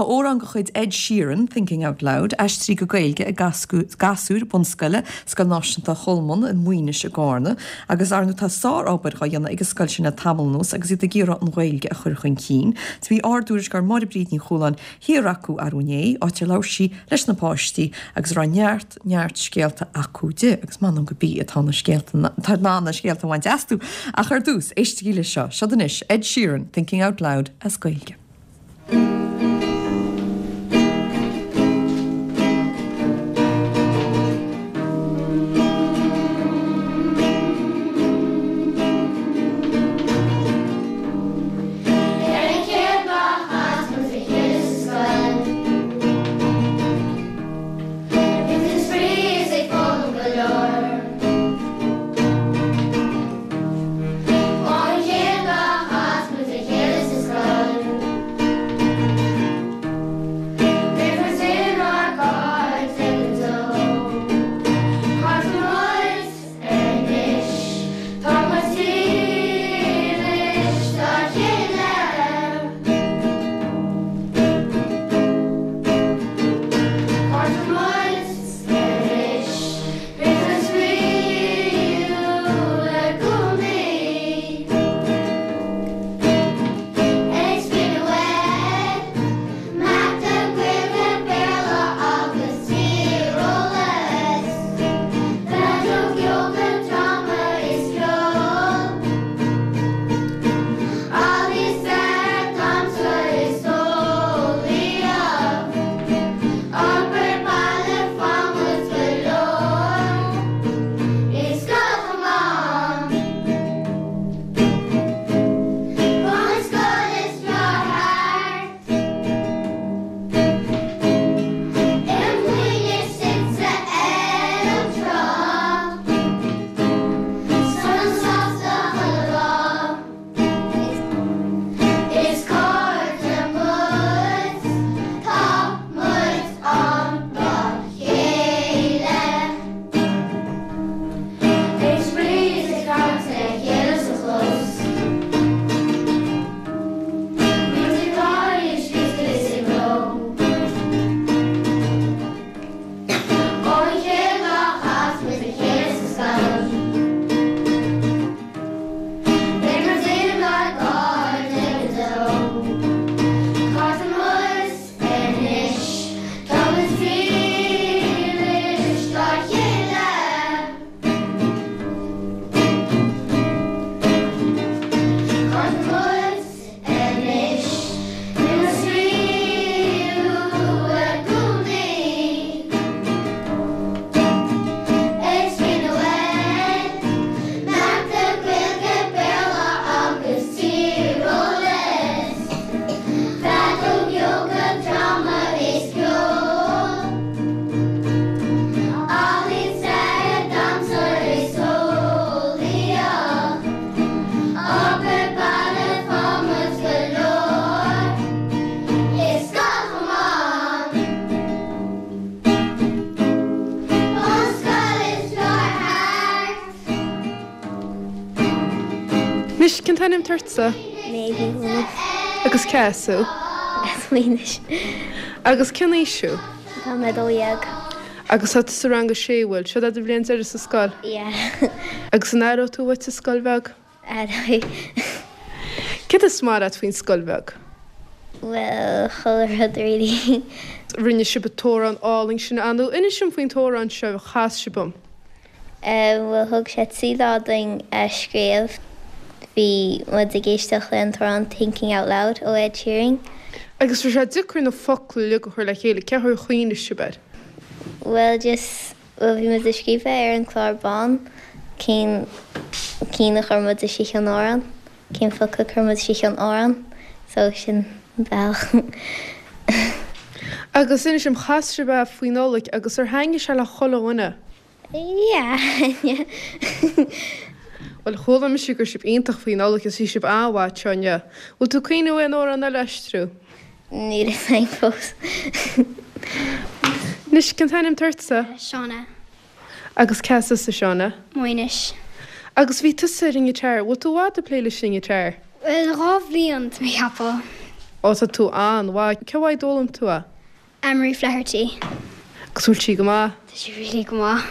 Tá amhrán de chuid Ed Sheeran, Thinking Out Loud, aistrithe go Gaeilge ag gasúir bunscoile Scoil Náisiúnta Cholmáin i Maínis i gCarna agus ar ndóigh tá sár-obair dhá dhéanamh ag an scoil sin le tamall anuas agus iad ag iarraidh an Ghaeilge a chur chun cinn. Bhí ár dtuairisceoir Máire Bríd Ní Chualáin thiar acu arú inné, áit ar labhair sí leis na páistí agus a raibh neart, neart scéalta acu di agus m'anam go bí atá na scéalta, tá in ann na scéalta a bhaint astu. Ach ar dtús, éistigí leis seo. Seod anois Ed Sheeran, Thinking Out Loud as Gaeilge. Ar an chéad lá a chas muid le chéile sa scoil Bhí muid ag spraoi is ag foghlaim go leor Ó an chéad lá a chas muid le chéile sa scoil Beidh muid inár gcairde go deo Cairde muid Anois tá muid dílis dá chéile. Cairde muid anois, beidh muid spraíúil i gcónaí. Ag spraoi Mata, Gaeilge, Béarla agus Tíreolas. Feadóg, Yoga, Dráma is ceol. Ealaín, Stair, Damhsa is Eolaíocht. Obair baile faigheann muid go leor. I Scoil Cholmáin. An scoil is fearr thart. I Maínis suite ar an trá. Sona sásta chuile lá. Is cairde muid, tá muid ann dá chéile. Ag spraoi is ag caint le chéile sa chlós. Muid ag gáirí ag scríobh is ag ól. Ón chéad lá a chas muid le chéile sa scoil. Beidh muid inár gcairde go deo. Cairde muid anois, tá muid dílis dá chéile. Cairde muid anois, beidh muid spraíúil i gcónaí. Ag spraoi nó ag Mata, Gaeilge, Béarla agus Tíreolas. Feadóg, Yoga, Dráma is ceol. Ealaín, stair, damhsa is eolaíocht. Obair baile faigheann muid go leor. I Scoil Cholmáin. An scoil is fearr thart. Anois, cén t-ainm atá ortsa? Méabh Ní Chuanaigh. Agus cé as thú? As Maínis. Agus cén aois thú? Tá mé 12. Agus tá tú sa rang a sé, bhfuil? Seo é do bhliain deiridh sa scoil? Yeah. Agus an aireoidh tú uait an scoil bheag? Aireoidh. Céard is maith leat faoin scoil bheag? Bhuel, chuile rud really. Rinne sibh an t-amhrán álainn sin, ar ndóigh. Inis dom faoin t-amhrán seo a chas sibh dom. Bhuel, thug sé 3 lá dúinn a scríobh. Bhí muid ag éisteacht le an t-amhrán Thinking Out Loud ó Ed Sheeran. Agus raibh sé deacair na focla uilig a chur le chéile, cén chaoi ar chuimhnigh sibh air? Bhuel, just, bhuel bhí muid ag scríobh é ar an clár bán, cén cinn a chuir muid istigh san amhrán, cén focal a chuir muid istigh san amhrán, so sin an bealach. Agus inis dom, chas sibh é faoi Nollaig agus ar thaitnigh sé le chuile dhuine? Yeah. Bhuel, chuala mise go raibh sibh iontach faoi Nollaig agus bhí sibh an-mhaith anseo inniu. Bhfuil tú ag cuimhneamh aon amhrán eile a aistriú? Níl fhios a'm fós. Anois, cén t-ainm atá ortsa? Shauna. Agus cé as tusa, Shauna? Maínis. Agus bhí tusa ar an ngiotár. Bhfuil tú i bhfad ag plé leis an ngiotár? Bhuel, 2 bhliain, tá mé ag ceapadh. Ó tá tú an-mhaith. Cé uaidh a d'fhoghlaim tú é? Anne Marie Flaherty. Agus bhfuil sí go maith? Tá sí really go maith.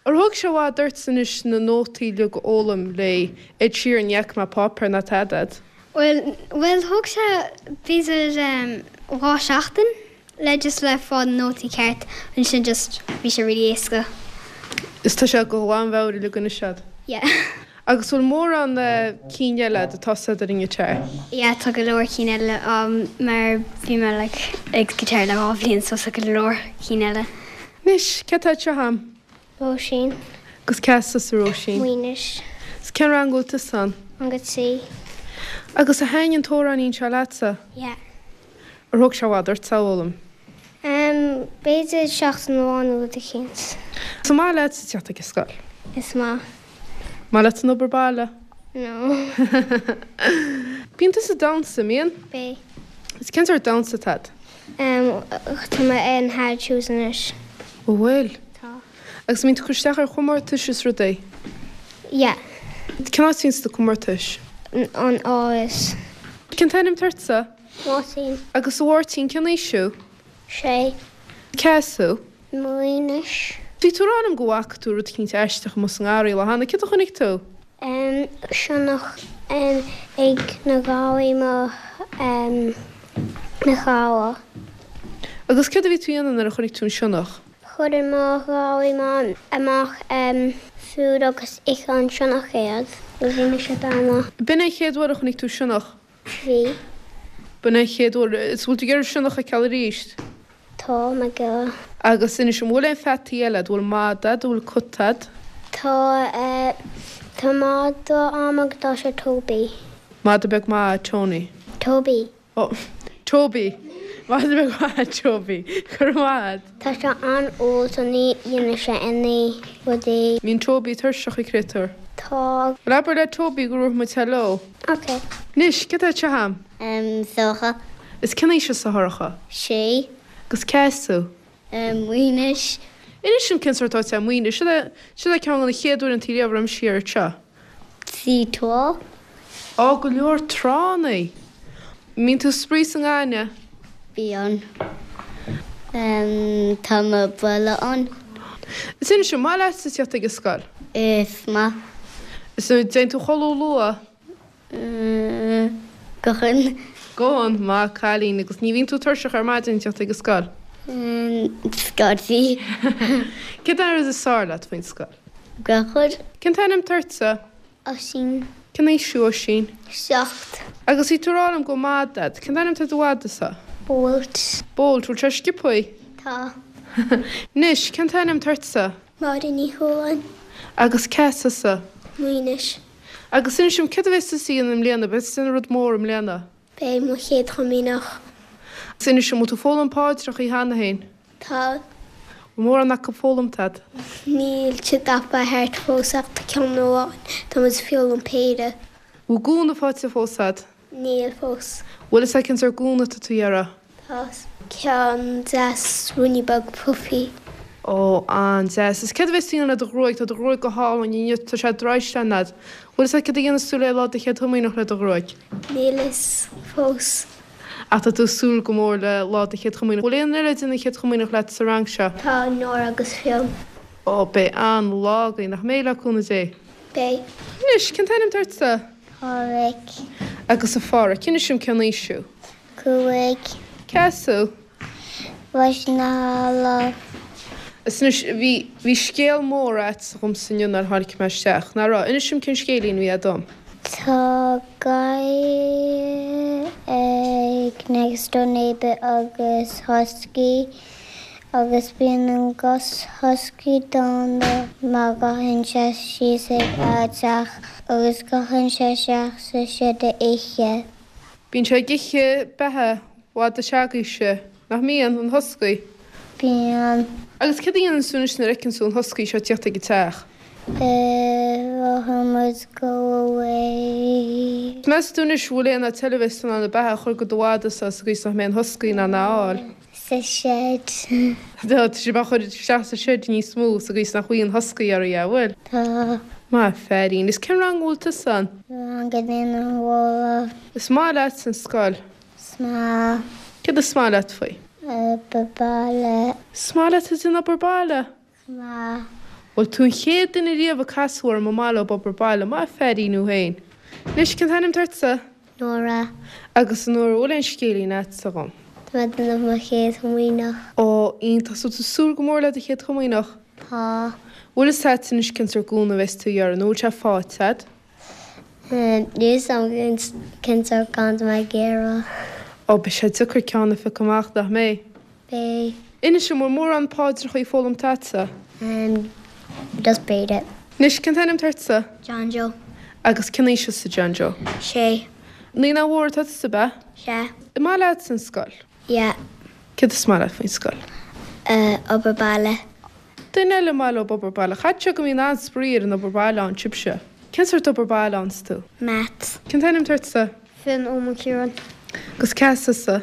Ar thóg sé i bhfad ort anois na nótaí uilig a fhoghlaim le Ed Sheeran ní fhaca mé páipéar ná tada a'd. Bhuel, bhuel thóg sé b'fhéidir 2 seachtain le just le fáil na nótaí ceart ansin just bhí sé really éasca. Is tá sé de ghlanmheabhair uilig anois a'd. Yeah. Agus bhfuil mórán cinn eile a'd atá a'd ar an ngiotár? Yeah tá go leor cinn eile mar bhí mé like ag guitar le 2 bhliain so tá go leor cinn eile. Anois, cé atá anseo a'm? Róisín. Agus cé as tusa Róisín? Maínis. Is cén rang a bhfuil tusa ann? Rang 3. Agus ar thaitin an t-amhráinín seo leatsa? Yeah. Ar thóg sé i bhfad ort é a fhoghlaim? Em, b'fhéidir seachtain amháin nó rud eicínt. Is maith leatsa teacht ag an scoil? Is maith. Maith leat an obair baile? No. Bíonn tusa ag damhsa, mbíonn? Bíonn. Is cén sórt damhsa atá a'd? Em, tá mé in hard shoes anois. Ó bhfuil? Tá. Agus an mbíonn tú ag cur isteach ar chomórtais is rudaí? Yeah. Cén áit a bhíonn sna comórtais? An Áras. Cén t-ainm atá ortsa? Máirtín. Agus a Mháirtín, cén aois thú? Sé. Cé as thú? Maínis. Bhí tú ag rá liom go bhfaca tú rud eicínt aisteach amuigh sa ngarraí lá cheana. Céard a chonaic tú? Sionnach ag na garraí mo mo chara. Agus céard a bhí tú a dhéanamh nuair a chonaic tú an sionnach? Chuir mo gharraí amach food agus ith an sionnach iad. Bhí mise dána. B'in é an chéad uair a chonaic tú sionnach? Bhí. B'in é an chéad uair. Is bhfuil tú ag iarraidh sionnach a fheiceáil arís? Tá mé ag iarraidh. Agus inis, an bhfuil aon pheataí eile a'd? Bhfuil mada a'd? Bhfuil cat a'd? Tá, tá mada a'm agus tá sé Toby. Mada beag maith, Tony. Toby. Ó, Toby. Mada beag maith, Toby. Go raibh maith a'd. Tá sé an-umhal so ní dhéanann sé any rudaí. Mbíonn Toby tuirseach a chréatúr. Tá. Bhuel abair le Toby go raibh muid hello. Ok. Anois, cé atá anseo a'm? Em, Sorcha. Is cén aois thusa a Shorcha? Sé. Agus cé as thú? Em, Maínis. Inis dom cén sórt áit é Maínis. Seo é, seo é ceann de na chéad uaireanta riamh a raibh mise thiar anseo. Bhí trá. Á, go leor tránna. Mbíonn tú ag spraoi sa ngaineamh? Bíonn. Em, tá mo bhulla ann. Is inis, an maith leatsa teacht ag an scoil? Is maith. Is an dtéann tú a chodladh luath? Go han. Go han, maith cailín. Agus ní bhíonn tú tuirseach ar maidin ag teacht ag an scoil? Scaití. Céard é an rud is fearr leat faoin scoil? Gach rud. Cén t-ainm atá ortsa? Oisín. Cén aois thú, Oisín? 7. Agus bhí tú ag rá liom go bhfuil mada a'd. Cén t-ainm atá ar do mhada-sa? Bolt. Bolt, bhfuil sé sciobthaí? Tá. Anois, cén t-ainm atá ortsa? Máire Ní Chualáin. Agus cé as tusa? Maínis. Agus inis dom, céard a bheas tusa a dhéanamh i mbliana? Beidh tusa ag déanamh rud mór i mbliana. Beidh mo chéad chomaoineach. Agus inis dom, bhfuil tú ag foghlaim paidreacha cheana féin? Tá. Bhfuil mórán acu foghlamtha a'd? Níl siad off by heart fós ach tá ceann amháin, tá muid ag foghlaim péire. Bhfuil gúna faighte fós a'd? Níl fós. Bhfuil fhios a'd cén sórt gúna atá tú a iarraidh? Tá. Ceann deas ruainne beag puffy. Ó, an-deas. Is céard a bheas tú a dhéanamh le do ghruaig? Tá do ghruaig go hálainn inniu, tá sé draoiste a'd. Bhfuil fhios a'd céard a dhéanfas tú le lá do chéad chomaoineach le do ghruaig? Níl fhios fós. Ach tá tú ag súil go mór le lá do chéad chomaoineach. Bhfuil aon eile ag déanamh chéad chomaoineach leat sa rang seo? Tá, Nóra agus Fionn. Ó, beidh an-lá againn, nach mbeidh, le cúnamh Dé? Beidh. Anois, cén t-ainm atá ortsa? Páraic. Agus a Pháraic, inis dom cén aois thú? 5. Cé as thú? Ros na hAlla. Is anois, bhí, bhí scéal mór a'dsa dhomsa inniu nuair a tháinig mé isteach, nach raibh? Inis dom cén scéilín a bhí a'd dom. Tá gadhar ag next door neighbour agus husky agus bíonn an husky dána mar gabhann sé síos ag a teach agus gabhann sé isteach sa seid a ithe. Bíonn sé ag ithe beatha mhada s'agaibhse, nach mbíonn, an husky? Bíonn. Agus céard a dhéanann tú anois nuair a fheiceann tú an husky seo ag tíocht ag an teach? Rothaíonn muid go away. Meas tú anois bhfuil aon áit eile a bheas tú in ann an beatha a chur go do mhada-sa sa gcaoi is nach mbeidh an husky in ann é a fháil? Sa shed. Tá sibh á chur isteach sa shed níos mó sa gcaoi is nach bhfaighidh an husky oraibh, an bhfuil? Tá. Maith feairín. Is cén rang a bhfuil tusa ann? Rang a haon an Mhála. Is maith leat an scoil? Is. Is maith. Céard is maith leat faoi? Obair baile. Is maith leat ag déanamh obair baile? Maith. Bhuel, tú an chéad duine riamh a casadh orm ar maith leo obair baile. Maith an feairín thú féin. Anois, cén t-ainm atá ortsa? Nóra. Agus a Nóra, bhfuil aon scéilín a'dsa dhom? Tá mé ag déanamh mo chéad chomaoineach. Ó, iontach. So tú ag súil go mór le do chéad chomaoineach? Tá. Bhfuil fhios a'd anois cén sórt gúna a bheas tú a iarraidh nó bhfuil sé faighte a'd? Níl fhios a'm cén sórt gúna atá mé ag iarraidh. Ó, beidh sé deacair ceann a phiocadh amach, nach mbeidh? Beidh. Inis dom, bhfuil mórán paidreachaí foghlamta a'dsa? Just b'fhéidir. Anois, cén t-ainm atá ortsa? John Joe. Agus cén aois thusa, John Joe? Sé. Naíonáin Mhór atá tusa, ab ea? Sea. An maith leatsa an scoil? Yeah. Céard is maith leat faoin scoil? Obair baile. Duine eile ar maith leo obair baile. Caithfidh sé go mbíonn an-spraoi ar an obair baile ann, sibhse. Cén sórt obair baile a fhaigheanns tú? Maths. Cén t-ainm atá ortsa? Fionn Ó Mac Ciaráin. Agus cé as tusa?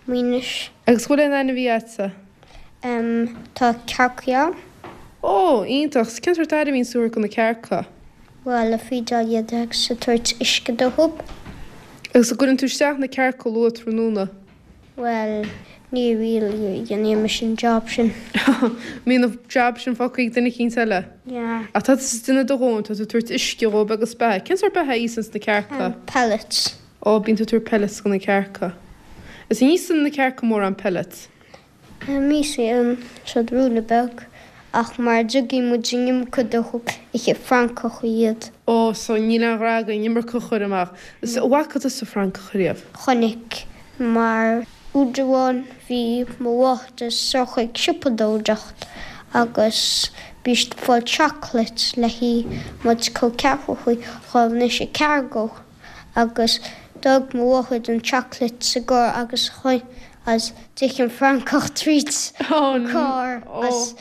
Maínis. Agus bhfuil aon ainmhí a'dsa? Em, tá cearcaí a'm. Ó, iontach. 'S cén sórt aire a bhíonns tú a thabhairt do na cearca? Bhuel, ag feedáil iad agus ag tabhairt uisce dóibh. Agus an gcuireann tú isteach na cearca luath tráthnóna? Bhuel, ní really dhéanaim mise an job sin. Mbíonn an job sin fágtha ag duine eicínt eile? Yeah. Ach tá tusa ag déanamh do dhóthain, tá tú ag tabhairt uisce dhóibh agus beatha. Cén sórt beatha a íosanns na cearca? Pellets. Ó, bíonn tú ag tabhairt pellets do na cearca. Is an íosann na cearca mórán pellets? Íosann siad ruainne beag, ach mar dtiocfaidh muid an iomarca dóibh, íosfaidh francach iad. Ó, so níl aon ghrá againn an iomarca a chur amach. Is an bhfaca tusa francach riamh? Chonaic, mar uair amháin bhí mo mháthair soir chuig siopadóireacht agus bhí siad ag fáil chocolate le haghaidh muid col ceathrachaí dhul anois ag cargo. agus d'fhág mo mháthair an chocolate sa gcarr agus agus d'ith an francach tríd an carr agus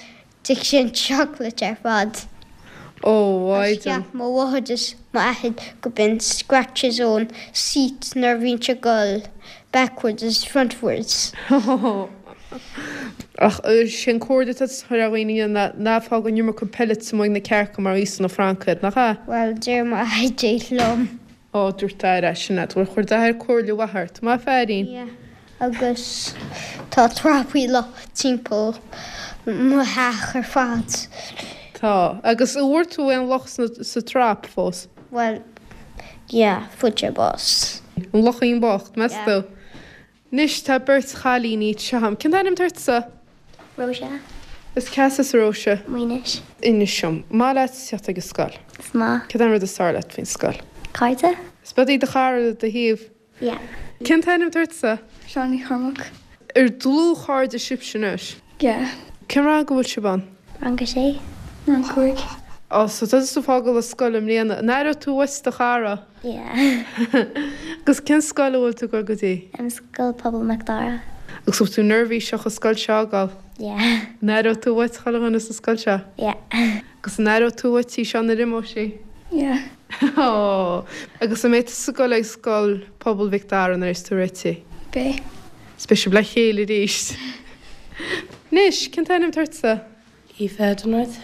d'ith sé an chocolate ar fad. Ó, Agus cheap mo mháthair is m'athair go b'in scratches ón seat nuair a bhíonn sé ag dul backwards is frontwards. Ach sin comhairle atá tusa a chur ar dhaoine ná ná fág an iomarca pellets amuigh ag na cearca mar íosann na francaigh iad, nach ea? Bhuel, deir m'athair é liom. Ó, dúirt d'athair é sin leat. Bhuel, chuir d'athair comhairle mhaith ort. Maith feairín. Yeah. Agus tá trapaí luch timpeall mo theach ar fad. Tá. Agus an bhfuair tú aon luch sa trap fós? Bhuel, yeah, fuair sé bás. An luchín bocht, meas tú? Anois tá beirt chailíní anseo a'm. Cén t-ainm atá ortsa? Róise. Is cé as tusa a Róise? Maínis. Inis dom, maith leat teacht ag an scoil? Is maith. Cad é an rud is fearr leat faoin scoil? Cairde. Is bead í do chara le do thaobh? Yeah. Cén t-ainm atá ortsa? Siún Ní Chormaic. Ar dlúthchairde sibhse anois? Yeah. Cén rang a bhfuil sibh ann? Rang a sé. Rang 5. Ó, so tá tusa ag fágáil an scoil i mbliana. An aireoidh tú uait do chara? Yeah. Agus cén scoil a bhfuil tú ag dul go dtí? Scoil Pobail Mhic Dara. Agus bhfuil tú neirbhíseach an scoil seo a fhágáil? Yeah. An aireoidh tú uait chuile dhuine sa scoil seo? Yeah. Agus an aireoidh tú uait í seo nuair a imeoidh sí? Yeah. Ó! Agus an mbeidh tusa ag dul ag Scoil Pobail Mhic Dara nuair a bheas tú réitithe? Beidh. Is beidh sibh le chéile arís. Anois, cén t-ainm atá ortsa? Aoife Dunworth.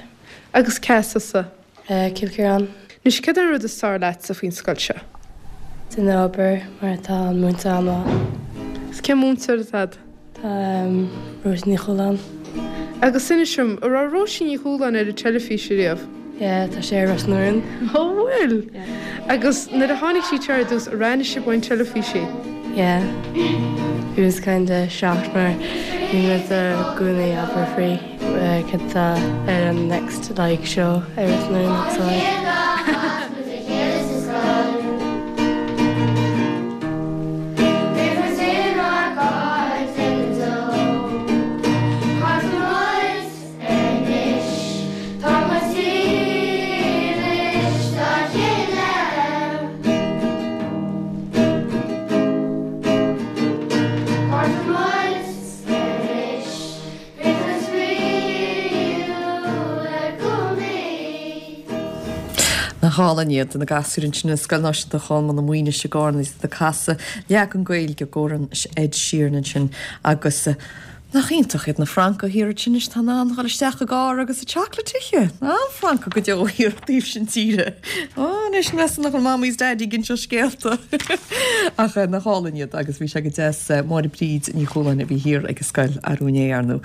Agus cé as tusa? Cill Chiaráin. Anois, cad é an rud is fearr leatsa faoin scoil seo? Déanamh obair mar tá an múinteoir an-mhaith. Is cén múinteoir atá agat? Tá Róisín Ní Chualáin. Agus inis dom, an raibh Róisín Ní Chualáin ar an teilifís ariamh? Yeah, tá sí ar Ros na Rún. Ó bhfuil? Yeah. Agus nuair a tháinig sí anseo ar dtús, ar aithin sibh ón teilifís í? Yeah. It was kinda shocked mar bhí muid i gcónaí ag abair faoi cad tá ar an next like show ar Ros na Rún agus like. Nach álainn iad na gasúir ansin i Scoil Náisiúnta Cholmáin i Maínis i gCarna agus iad ag casadh leagan Gaeilge d'amhrán Ed Sheeran ansin agus. Nach iontach iad na francaigh thiar ansin anois atá in ann dhul isteach i gcarr agus a chocolate a ithe. An-fhrancaigh go deo thiar taobh sin tíre. Ó, anois meas tú nach bhfuil Mamaí is Daidí ag inseacht scéalta. Ach nach álainn iad agus bhí sé go deas Máire Bríd Ní Chualáin a bhí thiar ag an scoil arú inné, ar ndóigh.